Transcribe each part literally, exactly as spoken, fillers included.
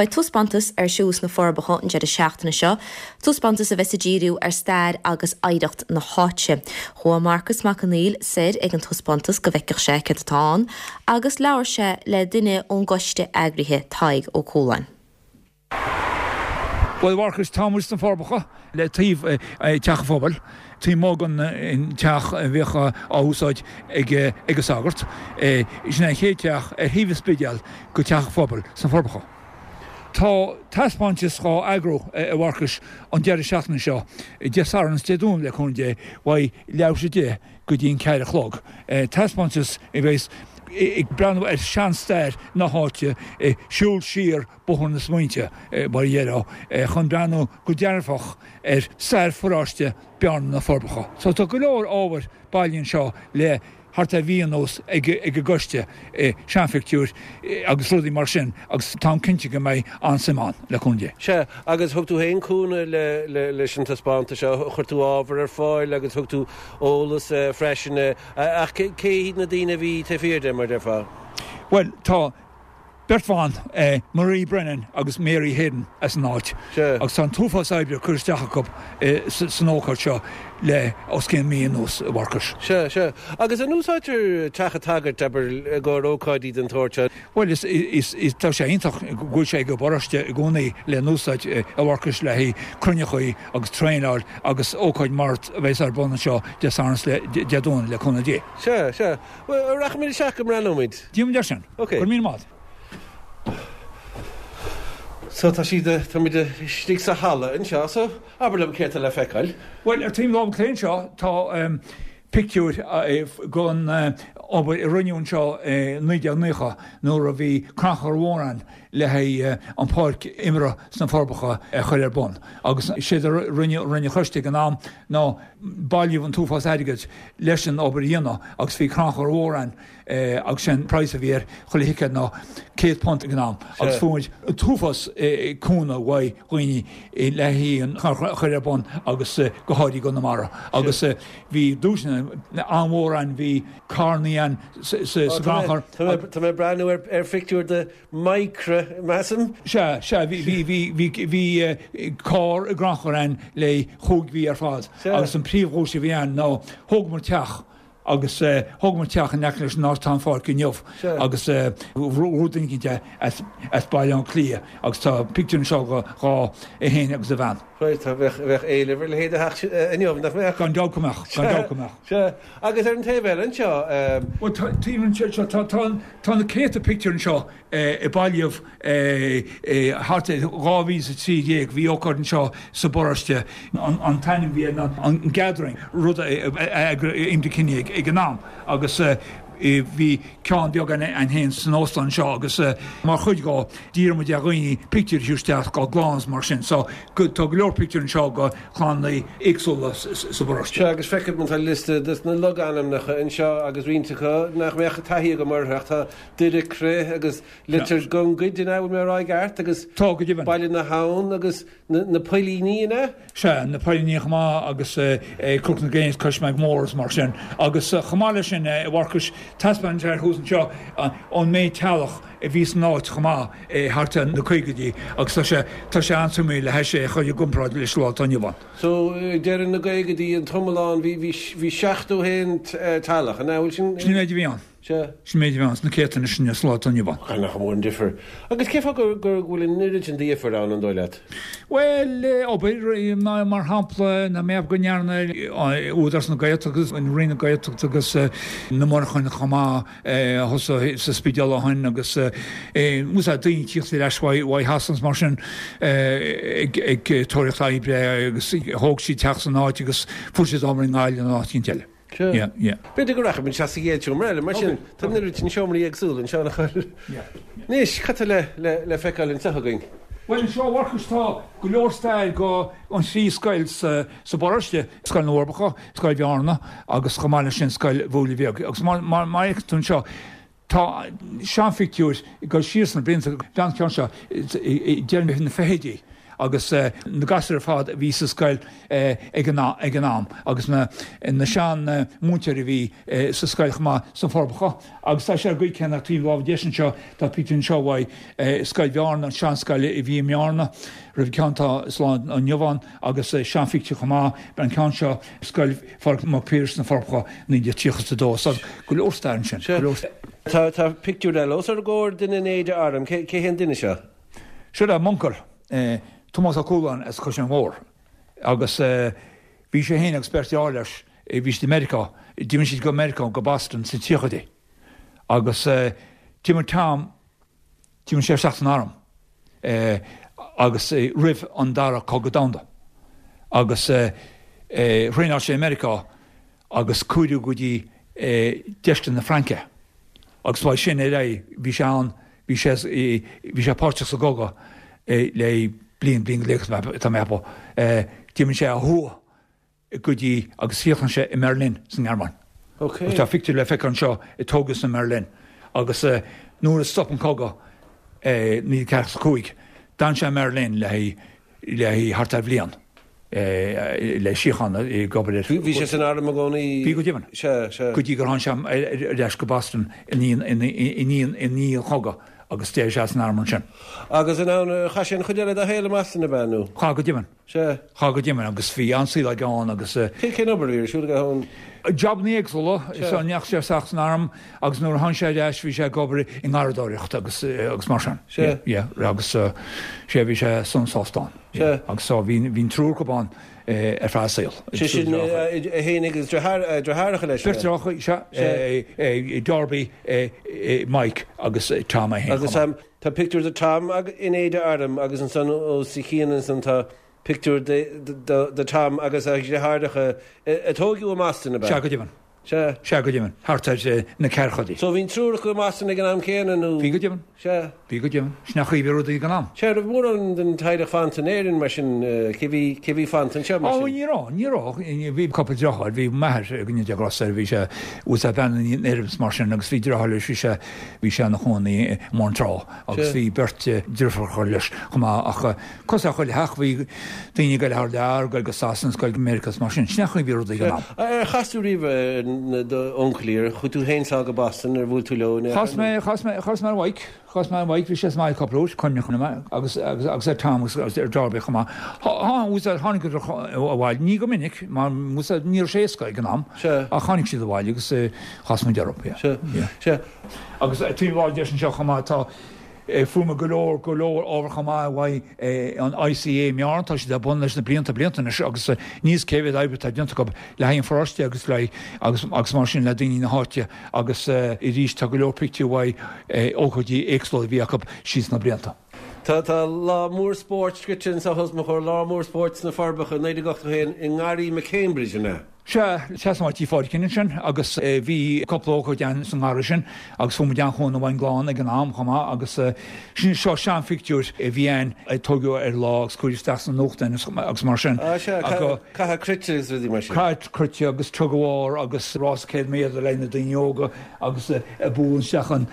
Beidh taispeántas ar siúl sna Forbacha an deireadh seachtaine seo, taispeántas a bheas ag díriú ar stair agus oidhreacht na háite. Chuaigh Marcas Mac Conghail soir ag an taispeántas go bhfeicfeadh sé céard atá ann, agus labhair sé le duine ón gcoiste eagraithe Tadhg Ó Cualáin. Well Mharcas tá muid sna Forbacha le taobh teach an phobail, taobh amuigh den teach a bhíodh á úsáid ag ag an sagart. Sin an chéad teach ar thaobh an Spidéil go teach an phobail sna Forbacha. Tá taispeántas á eagrú a Mharcais an deireadh seachtaine seo, Dé Sathairn is Dé Domhnaigh le cúnamh Dé, ó leathuair tar éis a deich go dtí an ceathair a chlog. Taispeántas a bheas ag breathnú ar seanstair na háite, siúl siar bóthar na smaointe mar a déarfá, chun breathnú go dearfach ar stair pharóiste Bearna na Forbacha. So tá go leor ábhair bailithe anseo le thart ar mhí anuas ag ag an gcoiste, seanphictiúir agus rudaí mar sin agus táim cinnte go mbeidh an-suim ann le cúnamh Dé. Sea, agus thug tú féin cúnamh le le leis an taispeántas seo, chuir tú ábhar ar fáil agus thug tú eolas freisin, ach cé hiad na daoine a bhí taobh thiar de, mar a déarfá? Bhuel, tá beirt bhan, Marie Brennan agus Mary Hayden as an áit agus tá an t-uafás oibre curtha isteach acu san ócáid seo le os cionn mí anuas, a Mharcais. Sea, sea. Agus an úsáidtear teach an tsagairt, abair, i gcomhair ócáidí den tsórt seo? Bhuel, is, is, is, tá sé iontach go bhfuil sé ag an bparóiste i gcónaí le n-úsáid, a Mharcais, le haghaidh cruinneachaí agus traenáil agus ócáid mar a bheas ar bun anseo Dé Sathairn is le Dé Domhnaigh le cúnamh Dé. Sea, sea. Bhuel, rachaimid isteach go mbreathnóimid. Déanfaimid é sin. Ok. Go raibh míle maith agat. So tá siad, táimid istigh sa halla anseo, so abair liom céard tá le feiceáil. Bhuel, ar taobh na láimhe clé anseo tá pictiúr den obair a rinneadh anseo i naoi déag naocha nuair a bhí crannchur mhór ann le haghaidh an pháirc imeartha sna Forbacha a chur ar bun agus séard a rinne rinne an choiste ag an am ná bailíodh an t-uafás airgid leis an obair a dhéanamh agus bhí crannchur mhór ann agus sé'n praghas a bhí ar chuile thicéad ná céad punt ag an am agus fuair muid an t-uafás cúnamh uaidh dhaoine le haghaidh an crannchur a chur ar bun agus go háirithe i gConamara agus bhí duaiseanna an-mhór ann, bhí carrannaí ann sa gcrannchur. Tá mé ag breathnú ar phictiúr de Micra, measaim. Sea, sea, bhí, bhí, bhí, bhí, bhí carr i gcrannchur ann le chúig mhí ar fad agus an príomhdhuais a bhí ann ná thógamar teach agus thógamar teach in aice leis an áit atá an pháirc inniu agus bhuaigh duine éicint é as as Baile Átha Cliath agus tá pictiúr anseo dhe dhá é féin agus a bhean. Right, tá bheadh bheadh éileamh ar a leithéid de theach inniu, nach mbeadh? Gan dabht go mbeadh, gan dabht go mbeadh. Sea, agus ar an taobh eile anseo. Bhuel tá taobh anseo tá tá tá na céadta pictiúr anseo a bailíodh thart ar dhá mhíle is a trí déag, bhí ócáid anseo sa bparóiste, an t-ainm a bhí air ná an Gathering, rud a eagraigh Enda Kenny ag an am agus bhí ceann beag ann féin san óstán anseo agus mar chuid dhó d'iarr muid ar dhaoine pictiúir a chur isteach dá gclann is mar sin so tá go leor pictiúr anseo de chlanna éagsúla sa bparóiste. Sea, agus feicim tá liosta de na logainmneacha anseo agus roinnt acu nach mbeadh taithí agam orthu ach tá Doire Crith agus Leitir Gongaid, an ea, bhfuil mé á rá i gceart, agus Tá, go deimhin. Baile na hAbhann agus na Poillíní, an ea? Sea, na Poillíní chomh maith agus Cnoc na Gréine is Cois Mór is mar sin. Agus chomh maith leis sin, a Mharcais, taispeánann sé thuas anseo an méid teaghlach a bhí san áit chomh maith thart ar na caogaidí agus tá sé tá sé an-suimiúil le hais é a chur i gcomparáid leis an lá atá inniu ann. So, deireadh na gcaogaidí, an t-iomlán, bhí bhí bhí seachtó haon teaghlach, an ea? Bhfuil sin? Sin an méid a bhí ann. Sea. Sin méid a bhí ann sna céadta anois sa lá atá inniu ann. Ach nach mór an difear. Agus cén fáth go bhfuil an oiread sin difir ann, an dóigh leat? Bhuel, obair, mar shampla, nach mbeadh go ndearna Údarás na Gaeltachta agus an Roinn na Gaeltachta agus na monarchain chomh maith a thosaigh sa Spidéal ó shin agus úsáid daoine tíocht ar ais uaidh Shasana is mar sin ag tóraíocht oibre agus thóg siad teach san áit agus fuair siad obair i nGaillimh nó áit éicint eile. Sea. Yeah, yeah. B'fhéidir go rachaimid isteach sa gcéad seomra eile, mar sin, tá an oiread sin seomraí éagsúla anseo nach bhfuil? Yeah. Anois, cad tá le, le, le feiceáil anseo againn? Bhuel, anseo, a Mharcais, tá go leor stair go an trí scoil sa, sa bparóiste, Scoil na bhForbacha, Scoil Bhearna agus chomh maith leis sin Scoil Bhuaile Bheag. Agus mar, mar, mar a fheiceann tú anseo, tá seanphictiúir ag dul siar sna blianta, an ceann seo, i deireadh na fichidí. agus na gasúir ar fad a bhí sa scoil ag an ag an am agus na na sean múinteoirí a bhí sa scoil chomh maith sna Forbacha agus tá sé ar an gcaoi céanna taobh láimhe deis anseo tá pictiúr anseo uaidh Scoil Bhearna an seanscoil a bhí i mBearna roimh an ceann atá sa lá inniu ann agus seanphictiúr chomh maith an ceann seo Scoil Phádraig Mac Piarais sna Forbacha naoi déag tríocha is a dó so go leor stair ansin go leor Tá tá pictiúr eile os ár gcomhair duine in éide airm cé cé hé an duine seo? Seo é m'uncail Tomás Ó Cualáin as Caisleán Mhór agus bhí sé féin agus beirt deartháir leis bhí siad i Meiriceá d'imigh siad go Meiriceá go Boston sna tríochaidí agus d'imigh Tom d'imigh sé isteach san arm agus roimh an dara cogadh domhanda agus thraenáil sé i Meiriceá agus cuireadh go dtí deisceart na Fraince agus uaidh sin ar aghaidh bhí sé ann bhí sé bhí sé páirteach sa gcogadh le bliain bliain go leith tá mé a cheapadh d'imigh sé ó thuaidh go dtí agus chríochnaigh sé i mBerlin san nGearmáin. Okay. Tá pictiúr le feiceáil anseo a tógadh sa mBerlin agus nuair a stop an cogadh naoi déag ceathracha a cúig d'fhan sé i mBerlin le le thart ar bhliain le síocháin ag obair ar. Bhí sé san arm i gcónaí? Bhí go deimhin. Sea, sea. Go dtí gur tháinig sé ar ais go Boston i ndiaidh an chogaidh agus d'éirigh sé as an arm ansin. Agus in ann, chaith sé an chuid eile dá shaol i mBoston ab ea nó? Chaith go deimhin. Sea. Chaith go deimhin agus bhí an-saol aige ann agus. Cé cén obair a bhí ar siúl aige ann? Jabanna éagsúla, so ndeachaigh sé isteach san arm agus nuair a tháinig sé ar ais bhí sé ag obair i ngarradóireacht agus agus mar sin. Sea. Yeah, agus sea bhí sé sona sásta ann. Sea. Agus so bhí bhí an triúr acu ann ar feadh a saoil. Sé sin é féin agus deartháireacha leis. Beirt deartháireacha, sea, Darby, Mike agus Tom é féin. Agus tá pictiúr de Tom in éide airm agus ansan os a chionn ansan tá pictiúr de Tom agus a dheartháireacha a tógadh i mBoston, ab ea? Sea, go deimhin. Sea. Sea, go deimhin. Thart ar na ceathrachaidí. So bhí an triúr acu i mBoston ag an am céanna nó? Bhí go deimhin. Sea. Bhí go deimhin. Sin an chaoi a bhí rudaí ag an am. Sea, raibh mórán den teaghlach fanta in Éirinn mar sin, cé bhí, cé bhí fanta anseo mar Ó, sin? ní raibh, ní raibh. Bhí cúpla deartháir, bhí m'athair, go ndéana Dia grásta air, bhí sé, bhuel tá bean in Éirinn is mar sin agus bhí deartháir leis, bhí sé, bhí sé ina chónaí i mBóthar na Trá agus bhí beirt deirfiúracha leis chomh maith ach cosúil le chuile theach bhí daoine ag goil thar lear, ag goil go Sasana, ag goil go Meiriceá is mar sin. Sin an chaoi a bhí rudaí ag an am. Ar chas tú riamh ar d'uncailí, ar chuaigh tú féin sall go Boston, ar bhuail tú leo in aon Chas mé, chas mé, chas mé ar Mhaidhc, chas mé ar Mhaidhc, bhí sé sa mbaile cúpla uair, cuimhneach liom, agus, agus, agus ar Tom agus ar Darby chomh maith. Tháinig siad abhaile, ní go minic, mar ní raibh sé éasca ag an am, ach tháinig siad abhaile agus chas muid orthu, yeah. Sea, sea. Agus taobh láimhe deis anseo chomh maith tá fuair muid go leor, go leor ábhar chomh maith uaidh an ICA i mBearna, tá siad ar bun leis na blianta, blianta anois agus níl fhios cé mhéad oibre atá déanta acu le haghaidh an pharóiste agus le agus agus mar sin le daoine na háite agus arís tá go leor pictiúr uaidh ócáidí éagsúla a bhí acu síos na blianta. Tá tá lá mór spóirt scrite anseo os mo chomhair, lá mór spóirt sna Forbacha naoi déag ochtó a haon i nGarraí McCambridge, an ea? Sea, seasann Tí Phádraicín ansin agus bhí cúpla ócáid ann sa ngarraí sin agus fuair muid an-chúnamh ón gclann ag an am chomh maith agus sin seo seanphictiúr a bhí ann a tógadh ar lá agus cuireadh isteach sna nuachtáin agus mar sin. Ah sea, caitheamh cruite agus rudaí mar sin. Caitheamh cruite agus tug of war agus rás céad méadar le na daoine óga agus ag bualadh isteach an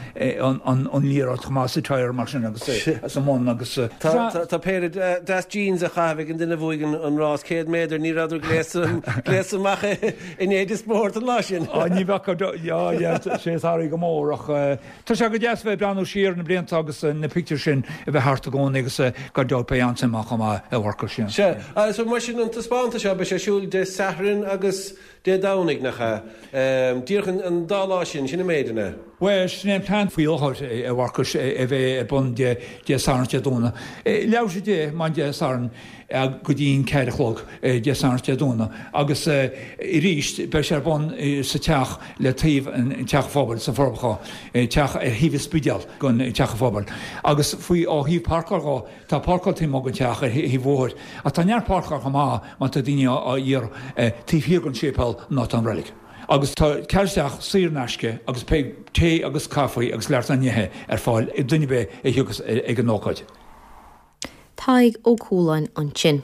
an liathróid chomh maith sa tyre mar sin agus sa mbun agus. Tá péire deas jeans á chaitheamh ag an duine a bhuaigh an rás céad méadar, ní rabhadar gléasta amach in éide spóirt an lá sin. Á ní bheadh, yeah yeah sé is airí go mór ach tá sé go deas bheith ag breathnú siar na blianta agus na pictiúir sin a bheith thart i gcónaí agus gan dabht beidh an-suim ann chomh maith a Mharcais. Sea, so mar sin an taispeántas seo beidh sé ar siúl Dé Sathairn agus Dé Domhnaigh, nach ea? Díreach an dá lá sin, sin an méid, an ea? Bhuel, sin é an plean faoi láthair, a Mharcais, a bheith ar bun Dé Sathairn is Dé Domhnaigh. Leathuair tar éis a deich maidin Dé Sathairn go dtí an ceathair a chlog Dé Sathairn is Dé Domhnaigh agus arís beidh sé ar bun sa teach le taobh an teach phobail sna Forbacha, teach ar thaobh an Spidéal den teach phobail. Agus faoi ó thaobh páirceáil dhó, tá páirceáil taobh amuigh den teach ar thaobh an bhóthair ach tá neart páirceáil chomh maith má tá daoine á iarraidh taobh thiar den séipéal ná tá an reilig. Agus tá cead isteach saor in aisce agus beidh tae agus caife agus lear nithe ar fáil ag duine ar bith a thiocfas ag an ócáid. Tadhg Ó Cualáin ansin.